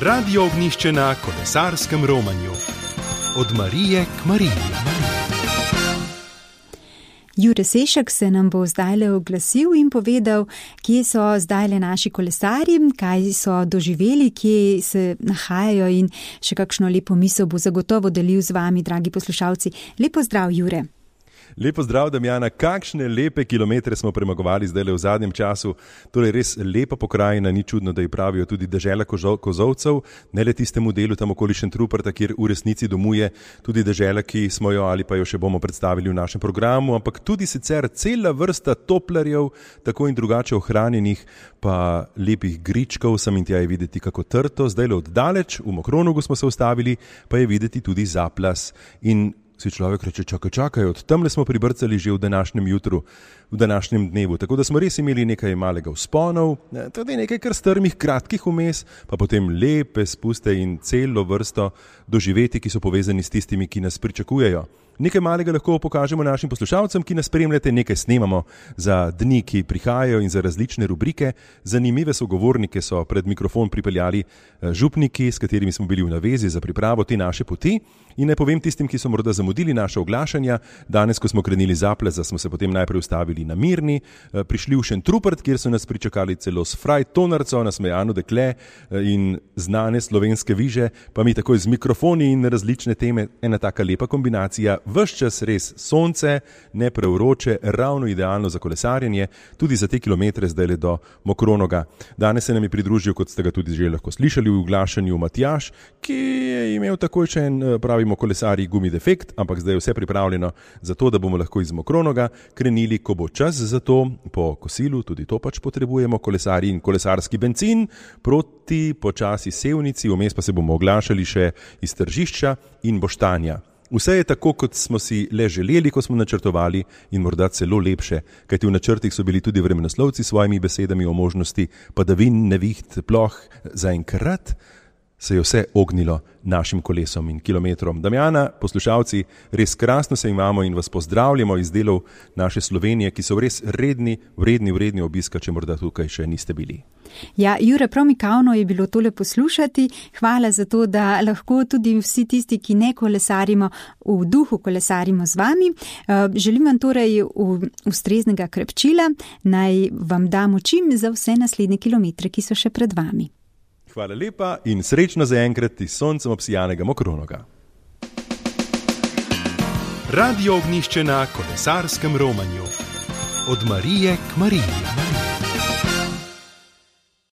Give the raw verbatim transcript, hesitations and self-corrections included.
Radio Ognjišče na kolesarskem romanju. Od Marije k Mariji. Jure Sešak se nam bo zdajle oglasil in povedal, kje so zdajle naši kolesarji, kaj so doživeli, kje se nahajajo in še kakšno lepo misel bo zagotovo delil z vami, dragi poslušalci. Lepo zdrav, Jure. Lepo zdrav, Damjana. Kakšne lepe kilometre smo premagovali zdajle v zadnjem času. Torej res lepa pokrajina, ni čudno, da ji pravijo tudi dežela kozovcev, ne le tistemu delu tam okoli Šentruperta, kjer v resnici domuje tudi dežela, ki smo jo ali pa jo še bomo predstavili v našem programu, ampak tudi sicer cela vrsta toplarjev, tako in drugače ohranjenih, pa lepih gričkov, sem in tja je videti kako trto. Zdajle oddaleč, v Mokronogu smo se ustavili, pa je videti tudi Zaplas. In si človek reče, čakaj, čakaj, od tamle smo pribrcali že v današnjem jutru, v današnjem dnevu. Tako da smo res imeli nekaj malega vzponov, tudi nekaj kar strmih, kratkih vmes, pa potem lepe spuste in celo vrsto doživeti, ki so povezani s tistimi, ki nas pričakujejo. Nekaj malega lahko pokažemo našim poslušalcem, ki nas spremljate, nekaj snemamo za dni, ki prihajajo in za različne rubrike. Zanimive sogovornike so pred mikrofon pripeljali župniki, s katerimi smo bili v navezi za pripravo te naše poti. In naj povem tistim, ki so morda zamudili naše oglašanja, danes, ko smo krenili Zapleza, smo se potem najprej ustavili na Mirni, prišli v Šentrupert, kjer so nas pričakali celo s Fraj Tonarco, nasmejano dekle in znane slovenske viže, pa mi takoj z mikrofoni in različne teme, ena taka lepa kombinacija. Ves čas res sonce, ne prevroče, ravno idealno za kolesarjenje, tudi za te kilometre zdaj le do Mokronoga. Danes se nam je pridružil, kot ste ga tudi že lahko slišali v oglašanju, Matjaž, ki je imel takoj še en, pravimo kolesarji, gumi defekt, ampak zdaj je vse pripravljeno za to, da bomo lahko iz Mokronoga krenili, ko bo čas za to, po kosilu, tudi to pač potrebujemo, kolesarji in kolesarski bencin, proti počasi Sevnici, vmes pa se bomo oglašali še iz Tržišča in Boštanja. Vse je tako, kot smo si le želeli, ko smo načrtovali in morda celo lepše, kajti v načrtih so bili tudi vremenoslovci s svojimi besedami o možnosti padavin, neviht, ploh. Zaenkrat se je vse ognilo našim kolesom in kilometrom. Damjana, poslušalci, res krasno se imamo in vas pozdravljamo iz delov naše Slovenije, ki so res redni, vredni, vredni obiska, če morda tukaj še niste bili. Ja, Jure, prav mikavno je bilo tole poslušati. Hvala za to, da lahko tudi vsi tisti, ki ne kolesarimo, v duhu kolesarimo z vami. Želim vam torej ustreznega krepčila, naj vam damo čim za vse naslednje kilometre, ki so še pred vami. Hvala lepa in srečno zaenkrat iz soncem obsijanega Mokronoga. Radio Ognjišče na kolesarskem romanju. Od Marije k Mariji.